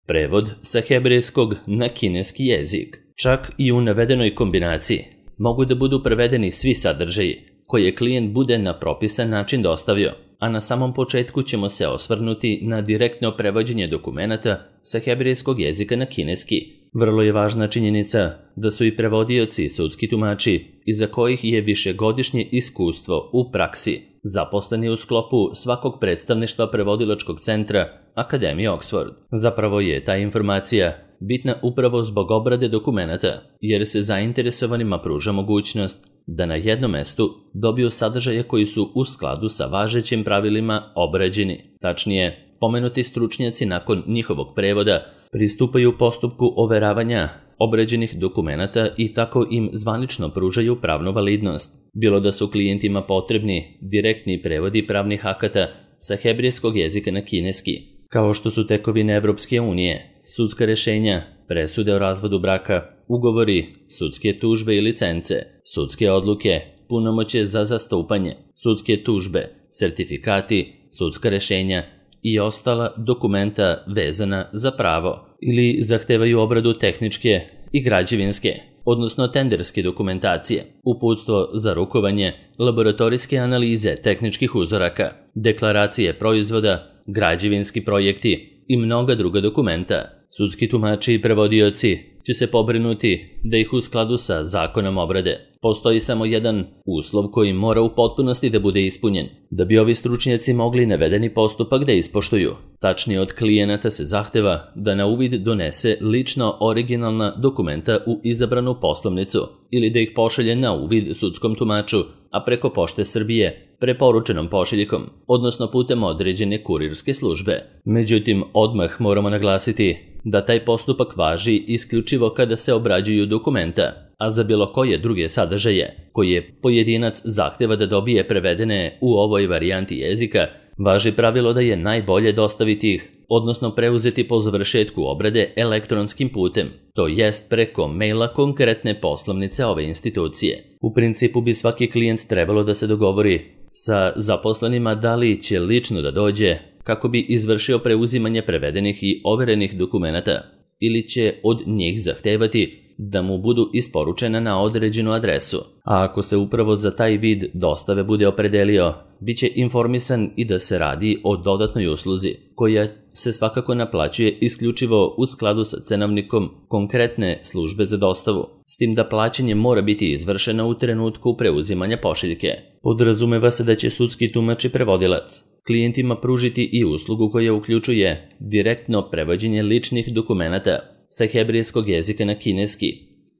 Prevod sa hebrejskog na kineski jezik. Čak i u navedenoj kombinaciji mogu da budu prevedeni svi sadržaji koje klijent bude na propisan način dostavio, a na samom početku ćemo se osvrnuti na direktno prevođenje dokumenata sa hebrejskog jezika na kineski. Vrlo je važna činjenica da su i prevodioci sudski tumači, iza kojih je višegodišnje iskustvo u praksi, zaposleni u sklopu svakog predstavništva prevodilačkog centra Akademije Oxford. Zapravo je ta informacija bitna upravo zbog obrade dokumenata, jer se zainteresovanima pruža mogućnost da na jednom mestu dobiju sadržaje koji su u skladu sa važećim pravilima obrađeni. Tačnije, pomenuti stručnjaci nakon njihovog prevoda pristupaju postupku overavanja obrađenih dokumenata i tako im zvanično pružaju pravnu validnost, bilo da su klijentima potrebni direktni prevodi pravnih akata sa hebrejskog jezika na kineski, kao što su tekovine Evropske unije, sudska rešenja, presude o razvodu braka, ugovori, sudske tužbe i licence, sudske odluke, punomoćje za zastupanje, sudske tužbe, sertifikati, sudska rešenja i ostala dokumenta vezana za pravo, ili zahtevaju obradu tehničke i građevinske, odnosno tenderske dokumentacije, uputstvo za rukovanje, laboratorijske analize tehničkih uzoraka, deklaracije proizvoda, građevinski projekti i mnoga druga dokumenta. Sudski tumači i prevodioci će se pobrinuti da ih u skladu sa zakonom obrade. Postoji samo jedan uslov koji mora u potpunosti da bude ispunjen, da bi ovi stručnjaci mogli navedeni postupak da ispoštuju. Tačnije, od klijenata se zahteva da na uvid donese lično originalna dokumenta u izabranu poslovnicu ili da ih pošalje na uvid sudskom tumaču, a preko Pošte Srbije preporučenom pošiljkom, odnosno putem određene kurirske službe. Međutim, odmah moramo naglasiti da taj postupak važi isključivo kada se obrađuju dokumenta, a za bilo koje druge sadržaje koje pojedinac zahteva da dobije prevedene u ovoj varijanti jezika, važi pravilo da je najbolje dostaviti ih, odnosno preuzeti po završetku obrade elektronskim putem, to jest preko maila konkretne poslovnice ove institucije. U principu bi svaki klijent trebalo da se dogovori sa zaposlenima da li će lično da dođe kako bi izvršio preuzimanje prevedenih i overenih dokumenata, ili će od njih zahtevati da mu budu isporučena na određenu adresu. A ako se upravo za taj vid dostave bude opredelio, bit će informisan i da se radi o dodatnoj usluzi, koja se svakako naplaćuje isključivo u skladu sa cenovnikom konkretne službe za dostavu, s tim da plaćanje mora biti izvršeno u trenutku preuzimanja pošiljke. Podrazumeva se da će sudski tumač i prevodilac klijentima pružiti i uslugu koja uključuje direktno prevođenje ličnih dokumenata sa hebrejskog jezika na kineski,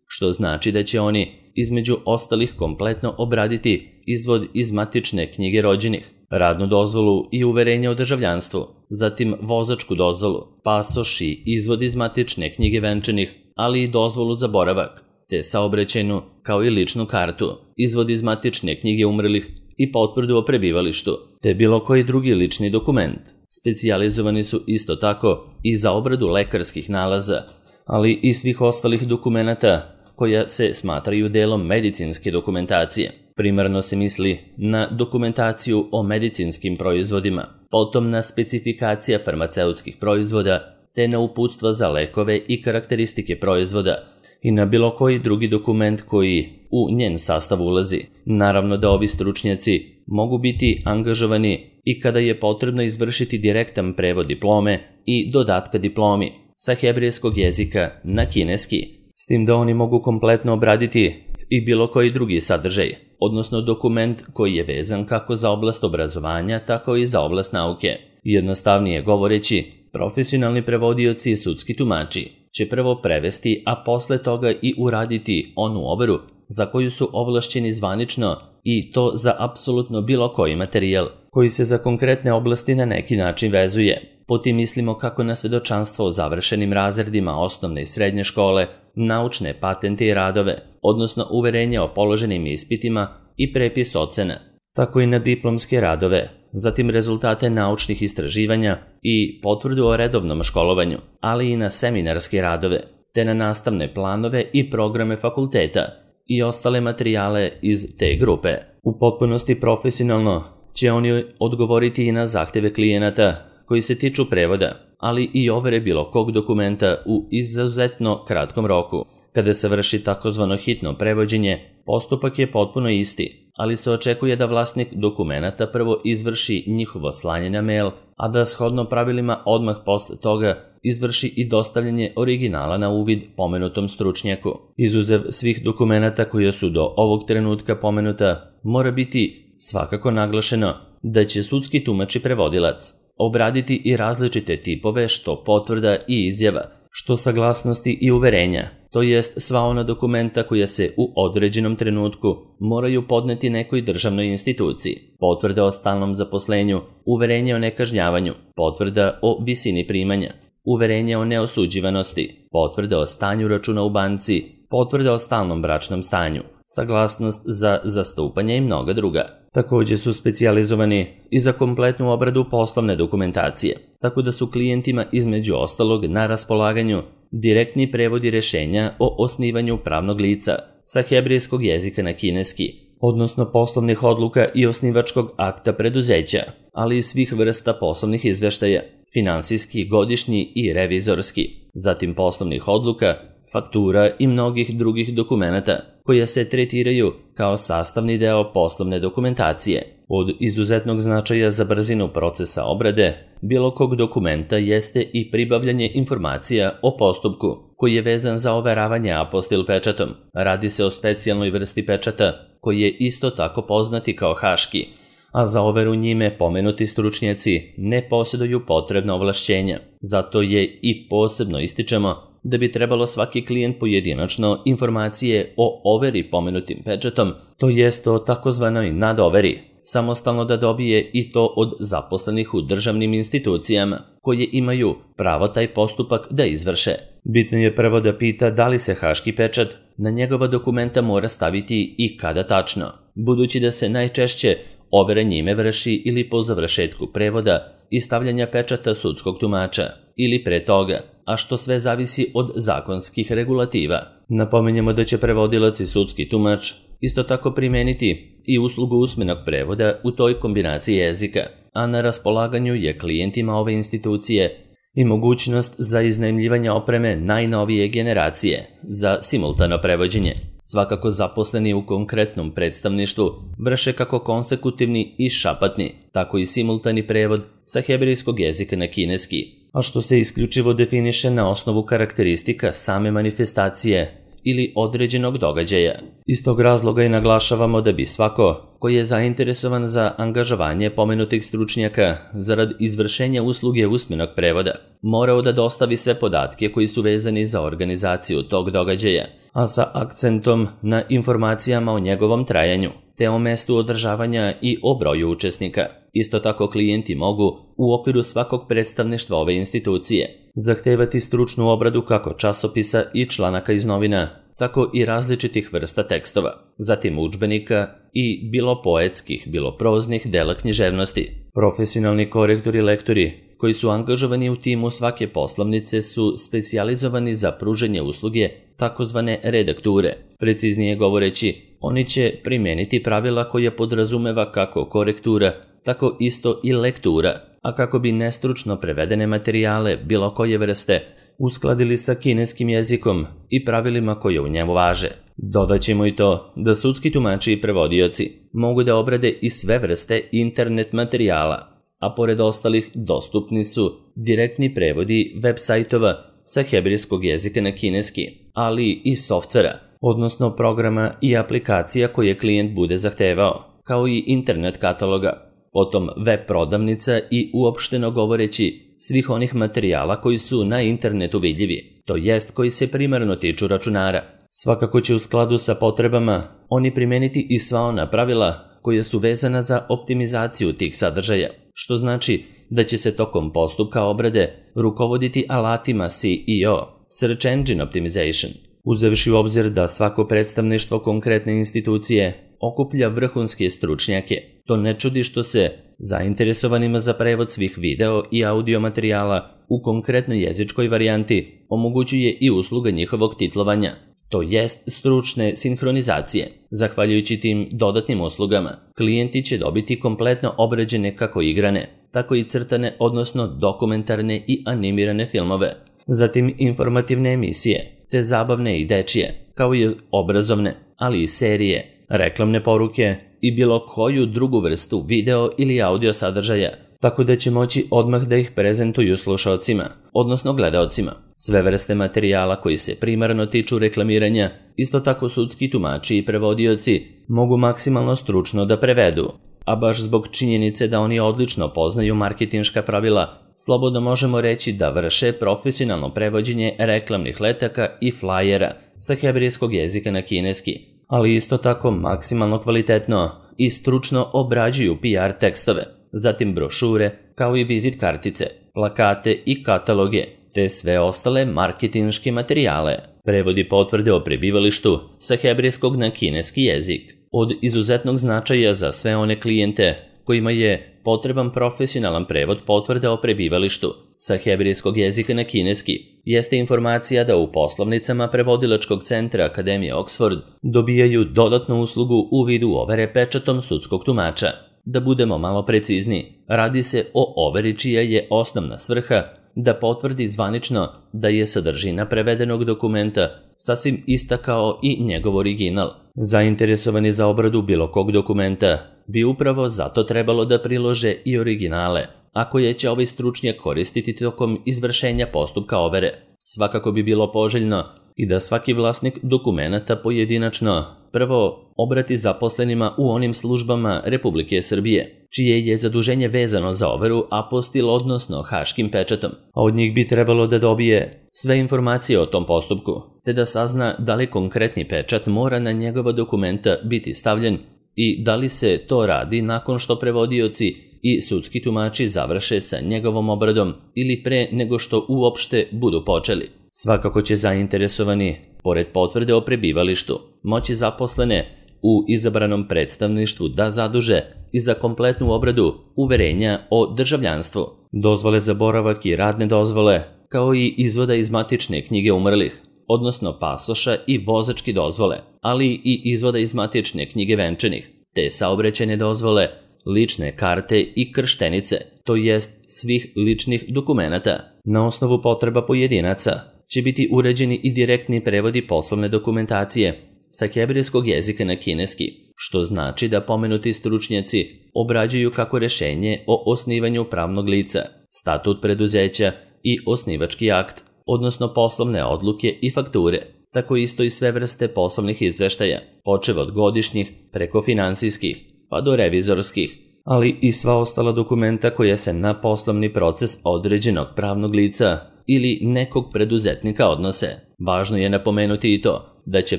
što znači da će oni, između ostalih, kompletno obraditi izvod iz matične knjige rođenih, radnu dozvolu i uverenje o državljanstvu, zatim vozačku dozvolu, pasoš i izvod iz matične knjige venčanih, ali i dozvolu za boravak, te saobraćajnu kao i ličnu kartu, izvod iz matične knjige umrlih i potvrdu o prebivalištu, te bilo koji drugi lični dokument. Specijalizovani su isto tako i za obradu lekarskih nalaza, ali i svih ostalih dokumenata koja se smatraju delom medicinske dokumentacije. Primarno se misli na dokumentaciju o medicinskim proizvodima, potom na specifikacija farmaceutskih proizvoda, te na uputstva za lekove i karakteristike proizvoda i na bilo koji drugi dokument koji u njen sastav ulazi. Naravno da ovi stručnjaci mogu biti angažovani i kada je potrebno izvršiti direktan prevod diplome i dodatka diplomi sa hebrejskog jezika na kineski, s tim da oni mogu kompletno obraditi i bilo koji drugi sadržaj, odnosno dokument koji je vezan kako za oblast obrazovanja, tako i za oblast nauke. Jednostavnije govoreći, profesionalni prevodioci i sudski tumači će prvo prevesti, a posle toga i uraditi onu overu za koju su ovlašćeni zvanično, i to za apsolutno bilo koji materijal koji se za konkretne oblasti na neki način vezuje. Po tim mislimo kako na svedočanstvo o završenim razredima osnovne i srednje škole, naučne patente i radove, odnosno uverenje o položenim ispitima i prepis ocena, tako i na diplomske radove, zatim rezultate naučnih istraživanja i potvrdu o redovnom školovanju, ali i na seminarske radove, te na nastavne planove i programe fakulteta i ostale materijale iz te grupe. U potpunosti profesionalno će oni odgovoriti i na zahteve klijenata koji se tiču prevoda, ali i overe bilo kog dokumenta u izuzetno kratkom roku. Kada se vrši takozvano hitno prevođenje, postupak je potpuno isti, ali se očekuje da vlasnik dokumenata prvo izvrši njihovo slanje na mail, a da shodno pravilima odmah posle toga izvrši i dostavljanje originala na uvid pomenutom stručnjaku. Izuzev svih dokumenata koje su do ovog trenutka pomenuta, mora biti svakako naglašeno da će sudski tumač i prevodilac obraditi i različite tipove što potvrda i izjava, što saglasnosti i uverenja, to jest sva ona dokumenta koja se u određenom trenutku moraju podneti nekoj državnoj instituciji, potvrda o stalnom zaposlenju, uverenje o nekažnjavanju, potvrda o visini primanja, uverenje o neosuđivanosti, potvrda o stanju računa u banci, potvrda o stalnom bračnom stanju, saglasnost za zastupanje i mnoga druga. Također su specijalizovani i za kompletnu obradu poslovne dokumentacije, tako da su klijentima između ostalog na raspolaganju direktni prevodi rješenja o osnivanju pravnog lica sa hebrejskog jezika na kineski, odnosno poslovnih odluka i osnivačkog akta preduzeća, ali i svih vrsta poslovnih izveštaja, finansijski, godišnji i revizorski, zatim poslovnih odluka, faktura i mnogih drugih dokumenata koja se tretiraju kao sastavni deo poslovne dokumentacije. Od izuzetnog značaja za brzinu procesa obrade bilo kog dokumenta jeste i pribavljanje informacija o postupku koji je vezan za overavanje apostil pečatom. Radi se o specijalnoj vrsti pečata koji je isto tako poznati kao haški, a za overu njime pomenuti stručnjaci ne posjeduju potrebna ovlašćenja. Zato je i posebno ističemo da bi trebalo svaki klijent pojedinačno informacije o overi pomenutim pečatom, to jest o takozvanoj nadoveri, samostalno da dobije i to od zaposlenih u državnim institucijama koje imaju pravo taj postupak da izvrše. Bitno je prvo da pita da li se haški pečat na njegova dokumenta mora staviti i kada tačno, budući da se najčešće overa njime vrši ili po završetku prevoda i stavljanja pečata sudskog tumača ili pre toga, a što sve zavisi od zakonskih regulativa. Napominjemo da će prevodilac i sudski tumač isto tako primeniti i uslugu usmenog prevoda u toj kombinaciji jezika, a na raspolaganju je klijentima ove institucije i mogućnost za iznajmljivanje opreme najnovije generacije za simultano prevođenje. Svakako zaposleni u konkretnom predstavništvu vrše kako konsekutivni i šapatni, tako i simultani prevod sa hebrejskog jezika na kineski, a što se isključivo definiše na osnovu karakteristika same manifestacije ili određenog događaja. Iz tog razloga i naglašavamo da bi svako koji je zainteresovan za angažovanje pomenutih stručnjaka zarad izvršenja usluge usmenog prevoda morao da dostavi sve podatke koji su vezani za organizaciju tog događaja, a sa akcentom na informacijama o njegovom trajanju, te o mestu održavanja i o broju učesnika. Isto tako klijenti mogu, u okviru svakog predstavništva ove institucije, zahtevati stručnu obradu kako časopisa i članaka iz novina, tako i različitih vrsta tekstova, zatim udžbenika i bilo poetskih, bilo proznih dela književnosti. Profesionalni korektori i lektori koji su angažovani u timu svake poslovnice su specijalizovani za pružanje usluge takozvane redakture. Preciznije govoreći, oni će primijeniti pravila koje podrazumeva kako korektura, tako isto i lektura, a kako bi nestručno prevedene materijale bilo koje vrste uskladili sa kineskim jezikom i pravilima koje u njemu važe. Dodaćemo i to da sudski tumači i prevodioci mogu da obrade i sve vrste internet materijala, a pored ostalih dostupni su direktni prevodi web sajtova sa hebrejskog jezika na kineski, ali i softvera, odnosno programa i aplikacija koje klijent bude zahtevao, kao i internet kataloga, potom web prodavnica i uopšteno govoreći svih onih materijala koji su na internetu vidljivi, to jest koji se primarno tiču računara. Svakako će u skladu sa potrebama oni primeniti i sva ona pravila koja su vezana za optimizaciju tih sadržaja, što znači da će se tokom postupka obrade rukovoditi alatima SEO, Search Engine Optimization, uzevši u obzir da svako predstavništvo konkretne institucije okuplja vrhunske stručnjake. To ne čudi što se zainteresovanima za prevod svih video i audio materijala u konkretnoj jezičkoj varijanti omogućuje i usluga njihovog titlovanja. to jest stručne sinhronizacije. Zahvaljujući tim dodatnim uslugama, klijenti će dobiti kompletno obrađene kako igrane, tako i crtane, odnosno dokumentarne i animirane filmove, zatim informativne emisije, te zabavne i dečije, kao i obrazovne, ali i serije, reklamne poruke i bilo koju drugu vrstu video ili audio sadržaja, tako da će moći odmah da ih prezentuju slušaocima, odnosno gledaocima. Sve vrste materijala koji se primarno tiču reklamiranja, isto tako sudski tumači i prevodioci mogu maksimalno stručno da prevedu, a baš zbog činjenice da oni odlično poznaju marketinška pravila, slobodno možemo reći da vrše profesionalno prevođenje reklamnih letaka i flajera sa hebrejskog jezika na kineski, ali isto tako maksimalno kvalitetno i stručno obrađuju PR tekstove, zatim brošure, kao i vizit kartice, plakate i kataloge, te sve ostale marketinške materijale. Prevodi potvrde o prebivalištu sa hebrejskog na kineski jezik od izuzetnog značaja za sve one klijente kojima je potreban profesionalan prevod potvrde o prebivalištu sa hebrejskog jezika na kineski jeste informacija da u poslovnicama prevodilačkog centra Akademije Oxford dobijaju dodatnu uslugu u vidu overe pečatom sudskog tumača. Da budemo malo precizni, radi se o overi čija je osnovna svrha da potvrdi zvanično da je sadržina prevedenog dokumenta sasvim ista kao i njegov original. Zainteresovani za obradu bilo kog dokumenta bi upravo zato trebalo da prilože i originale, a koje će ovaj stručnjak koristiti tokom izvršenja postupka overe. Svakako bi bilo poželjno i da svaki vlasnik dokumenata pojedinačno prvo obrati zaposlenima u onim službama Republike Srbije, čije je zaduženje vezano za overu apostil, odnosno haškim pečatom, a od njih bi trebalo da dobije sve informacije o tom postupku, te da sazna da li konkretni pečat mora na njegova dokumenta biti stavljen i da li se to radi nakon što prevodioci i sudski tumači završe sa njegovom obradom ili pre nego što uopšte budu počeli. Svakako će zainteresovani, pored potvrde o prebivalištu, moći zaposlene u izabranom predstavništvu da zaduže i za kompletnu obradu uverenja o državljanstvu, dozvole za boravak i radne dozvole, kao i izvoda iz matične knjige umrlih, odnosno pasoša i vozačke dozvole, ali i izvoda iz matične knjige venčanih, te saobraćajne dozvole, lične karte i krštenice, to jest svih ličnih dokumenata. Na osnovu potreba pojedinaca će biti uređeni i direktni prevodi poslovne dokumentacije sa hebrejskog jezika na kineski, što znači da pomenuti stručnjaci obrađuju kako rešenje o osnivanju pravnog lica, statut preduzeća i osnivački akt, odnosno poslovne odluke i fakture, tako isto i sve vrste poslovnih izveštaja, počev od godišnjih preko finansijskih, pa do revizorskih, ali i sva ostala dokumenta koja se na poslovni proces određenog pravnog lica ili nekog preduzetnika odnose. Važno je napomenuti i to da će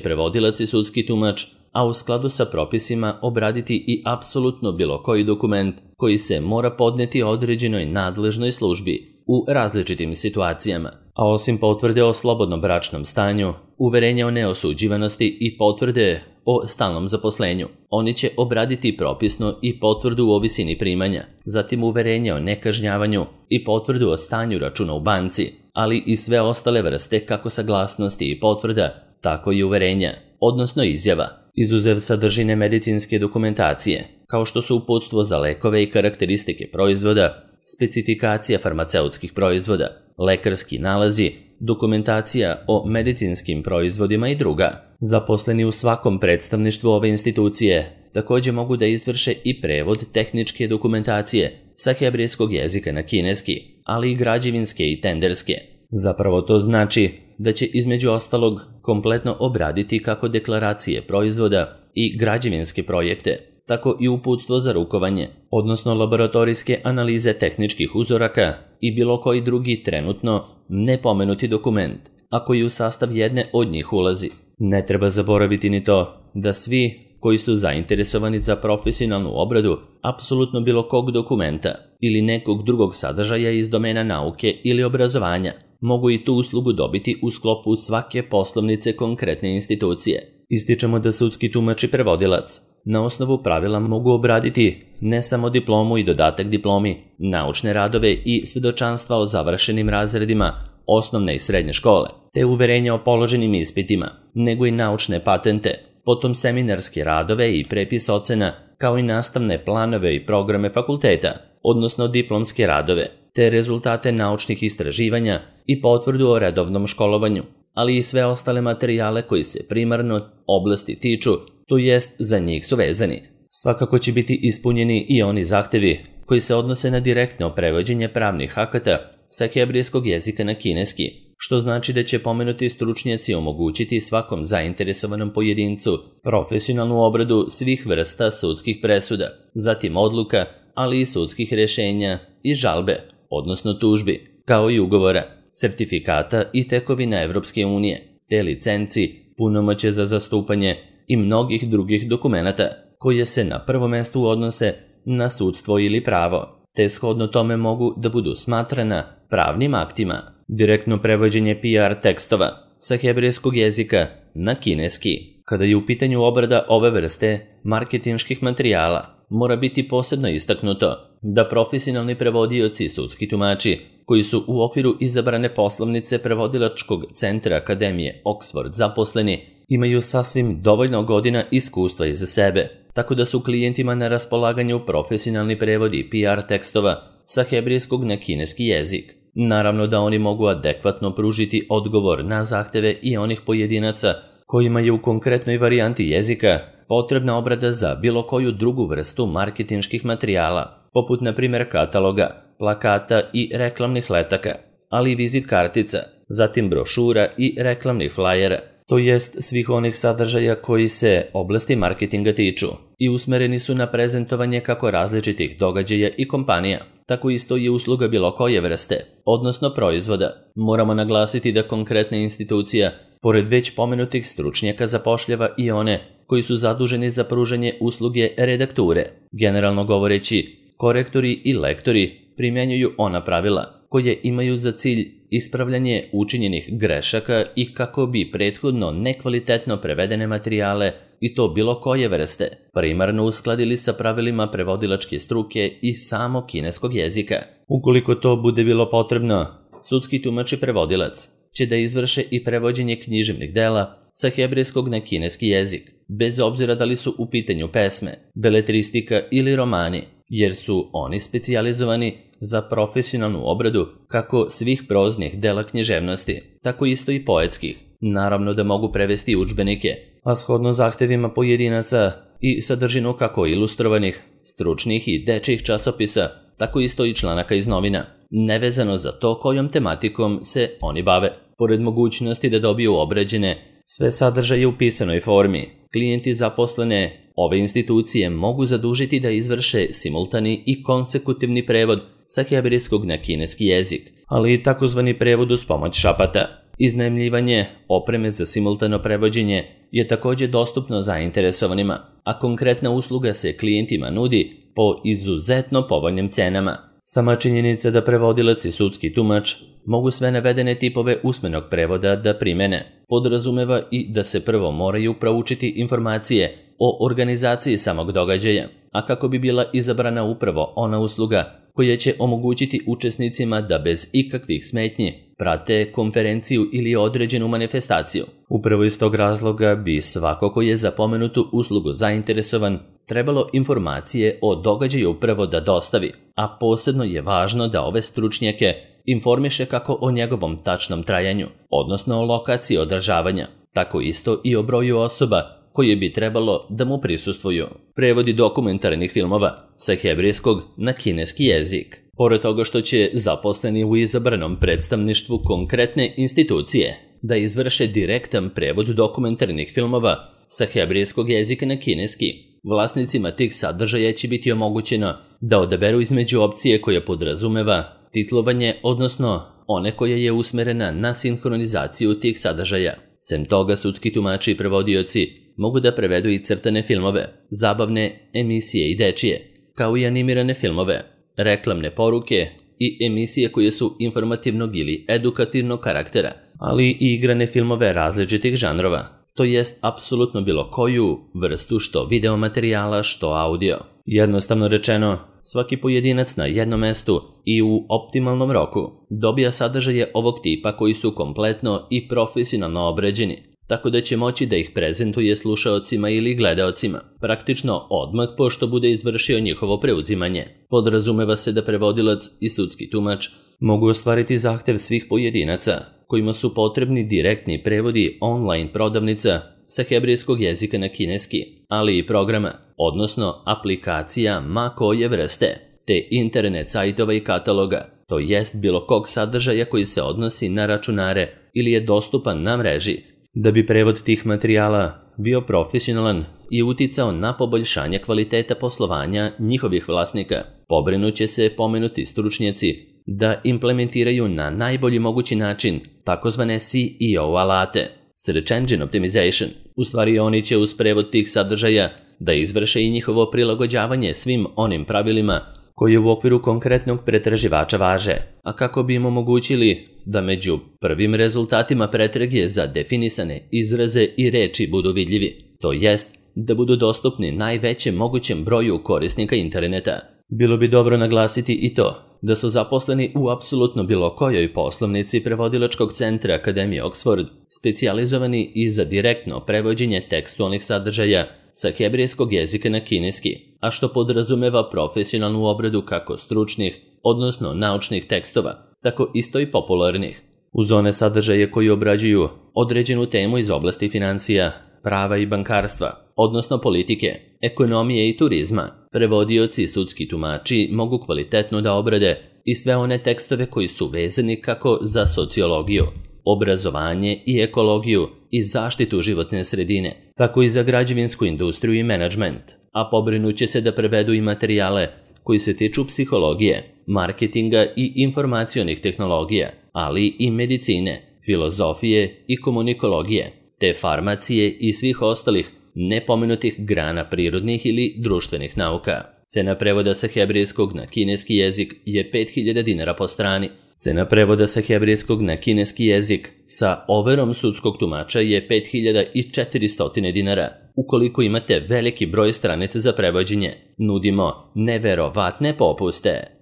prevodilac i sudski tumač, a u skladu sa propisima obraditi i apsolutno bilo koji dokument koji se mora podneti određenoj nadležnoj službi u različitim situacijama. A osim potvrde o slobodnom bračnom stanju, uverenja o neosuđivanosti i potvrde o stalnom zaposlenju, oni će obraditi propisno i potvrdu o visini primanja, zatim uverenje o nekažnjavanju i potvrdu o stanju računa u banci, ali i sve ostale vrste kako saglasnosti i potvrda, tako i uverenja, odnosno izjava, izuzev sadržine medicinske dokumentacije, kao što su uputstvo za lekove i karakteristike proizvoda, specifikacija farmaceutskih proizvoda, lekarski nalazi, dokumentacija o medicinskim proizvodima i druga. Zaposleni u svakom predstavništvu ove institucije također mogu da izvrše i prevod tehničke dokumentacije sa hebrejskog jezika na kineski, ali i građevinske i tenderske. Zapravo to znači da će između ostalog kompletno obraditi kako deklaracije proizvoda i građevinske projekte, tako i uputstvo za rukovanje, odnosno laboratorijske analize tehničkih uzoraka i bilo koji drugi trenutno nepomenuti dokument, a koji u sastav jedne od njih ulazi. Ne treba zaboraviti ni to da svi koji su zainteresovani za profesionalnu obradu apsolutno bilo kog dokumenta ili nekog drugog sadržaja iz domena nauke ili obrazovanja mogu i tu uslugu dobiti u sklopu svake poslovnice konkretne institucije. Ističemo da sudski tumač i prevodilac na osnovu pravila mogu obraditi ne samo diplomu i dodatak diplomi, naučne radove i svedočanstva o završenim razredima, osnovne i srednje škole, te uverenja o položenim ispitima, nego i naučne patente, potom seminarske radove i prepis ocena, kao i nastavne planove i programe fakulteta, odnosno diplomske radove, te rezultate naučnih istraživanja i potvrdu o redovnom školovanju, ali i sve ostale materijale koji se primarno oblasti tiču, to jest za njih su vezani. Svakako će biti ispunjeni i oni zahtevi koji se odnose na direktno prevođenje pravnih akata sa hebrejskog jezika na kineski, što znači da će pomenuti stručnjaci omogućiti svakom zainteresovanom pojedincu profesionalnu obradu svih vrsta sudskih presuda, zatim odluka, ali i sudskih rješenja i žalbe, odnosno tužbi, kao i ugovora, sertifikata i tekovina Evropske unije, te licenci, punomoćje za zastupanje i mnogih drugih dokumenata koje se na prvo mesto odnose na sudstvo ili pravo, te shodno tome mogu da budu smatrana pravnim aktima. Direktno prevođenje PR tekstova sa hebrejskog jezika na kineski. Kada je u pitanju obrada ove vrste marketinških materijala, mora biti posebno istaknuto da profesionalni prevodioci i sudski tumači koji su u okviru izabrane poslovnice prevodilačkog centra Akademije Oxford zaposleni imaju sasvim dovoljno godina iskustva iza sebe, tako da su klijentima na raspolaganju profesionalni prevodi PR tekstova sa hebrejskog na kineski jezik. Naravno da oni mogu adekvatno pružiti odgovor na zahteve i onih pojedinaca kojima je u konkretnoj varijanti jezika potrebna obrada za bilo koju drugu vrstu marketinških materijala, poput na primjer kataloga, plakata i reklamnih letaka, ali i vizit kartica, zatim brošura i reklamnih flajera, to jest svih onih sadržaja koji se oblasti marketinga tiču i usmereni su na prezentovanje kako različitih događaja i kompanija, tako isto i usluga bilo koje vrste, odnosno proizvoda. Moramo naglasiti da konkretna institucija, pored već pomenutih stručnjaka, zapošljava i one koji su zaduženi za pružanje usluge redakture. Generalno govoreći, korektori i lektori primjenjuju ona pravila koje imaju za cilj ispravljanje učinjenih grešaka i kako bi prethodno nekvalitetno prevedene materijale, i to bilo koje vrste, primarno uskladili sa pravilima prevodilačke struke i samo kineskog jezika. Ukoliko to bude bilo potrebno, sudski tumač i prevodilac će da izvrše i prevođenje književnih dela sa hebrejskog na kineski jezik, bez obzira da li su u pitanju pesme, beletristika ili romani, jer su oni specijalizovani za profesionalnu obradu kako svih proznih dela književnosti, tako isto i poetskih. Naravno da mogu prevesti udžbenike, a shodno zahtevima pojedinaca i sadržinu kako ilustrovanih, stručnih i dečjih časopisa, tako isto i članaka iz novina, nevezano za to kojom tematikom se oni bave. Pored mogućnosti da dobiju obrađene sve sadržaje u pisanoj formi, klijenti zaposlene ove institucije mogu zadužiti da izvrše simultani i konsekutivni prevod sa hebrejskog na kineski jezik, ali i takozvani prevod uz pomoć šapata. Iznajmljivanje opreme za simultano prevođenje je također dostupno zainteresovanima, a konkretna usluga se klijentima nudi po izuzetno povoljnim cenama. Sama činjenica da prevodilac i sudski tumač mogu sve navedene tipove usmenog prevoda da primene, podrazumeva i da se prvo moraju proučiti informacije o organizaciji samog događaja, a kako bi bila izabrana upravo ona usluga koja će omogućiti učesnicima da bez ikakvih smetnji prate konferenciju ili određenu manifestaciju. Upravo iz tog razloga bi svako ko je za pomenutu uslugu zainteresovan trebalo informacije o događaju prvo da dostavi, a posebno je važno da ove stručnjake informiše kako o njegovom tačnom trajanju, odnosno o lokaciji održavanja, tako isto i o broju osoba koje bi trebalo da mu prisustvuju. Prevodi dokumentarnih filmova sa hebrejskog na kineski jezik. Pored toga što će zaposleni u izabranom predstavništvu konkretne institucije da izvrše direktan prevod dokumentarnih filmova sa hebrejskog jezika na kineski, vlasnicima tih sadržaja će biti omogućeno da odaberu između opcije koja podrazumeva titlovanje, odnosno one koja je usmerena na sinhronizaciju tih sadržaja. Sem toga, sudski tumači i prevodioci mogu da prevedu i crtane filmove, zabavne emisije i dečije, kao i animirane filmove, reklamne poruke i emisije koje su informativnog ili edukativnog karaktera, ali i igrane filmove različitih žanrova, to jest apsolutno bilo koju vrstu što video materijala, što audio. Jednostavno rečeno, Svaki pojedinac na jednom mestu i u optimalnom roku dobija sadržaje ovog tipa koji su kompletno i profesionalno obrađeni, tako da će moći da ih prezentuje slušaocima ili gledaocima, praktično odmah pošto bude izvršio njihovo preuzimanje. Podrazumeva se da prevodilac i sudski tumač mogu ostvariti zahtev svih pojedinaca, kojima su potrebni direktni prevodi online prodavnica sa hebrejskog jezika na kineski, ali i programa, odnosno aplikacija ma koje vrste, te internet sajtova i kataloga, to jest bilo kog sadržaja koji se odnosi na računare ili je dostupan na mreži. Da bi prevod tih materijala bio profesionalan i uticao na poboljšanje kvaliteta poslovanja njihovih vlasnika, pobrinuće se pomenuti stručnjaci da implementiraju na najbolji mogući način takozvane SEO alate, Search Engine Optimization. U stvari oni će uz prevod tih sadržaja da izvrše i njihovo prilagođavanje svim onim pravilima koji u okviru konkretnog pretraživača važe, a kako bi im omogućili da među prvim rezultatima pretrage za definisane izraze i reči budu vidljivi, to jest da budu dostupni najvećem mogućem broju korisnika interneta. Bilo bi dobro naglasiti i to da su zaposleni u apsolutno bilo kojoj poslovnici prevodilačkog centra Akademije Oxford specijalizovani i za direktno prevođenje tekstualnih sadržaja sa hebrejskog jezika na kineski, a što podrazumeva profesionalnu obradu kako stručnih, odnosno naučnih tekstova, tako isto i popularnih. Uz one sadržaje koji obrađuju određenu temu iz oblasti financija, prava i bankarstva, odnosno politike, ekonomije i turizma, prevodioci i sudski tumači mogu kvalitetno da obrade i sve one tekstove koji su vezani kako za sociologiju, obrazovanje i ekologiju i zaštitu životne sredine, tako i za građevinsku industriju i menadžment, a pobrinuće se da prevedu i materijale koji se tiču psihologije, marketinga i informacionih tehnologija, ali i medicine, filozofije i komunikologije, te farmacije i svih ostalih nepomenutih grana prirodnih ili društvenih nauka. Cena prevoda sa hebrejskog na kineski jezik je 5000 dinara po strani. Cena prevoda sa hebrejskog na kineski jezik sa overom sudskog tumača je 5400 dinara. Ukoliko imate veliki broj stranica za prevođenje, nudimo neverovatne popuste.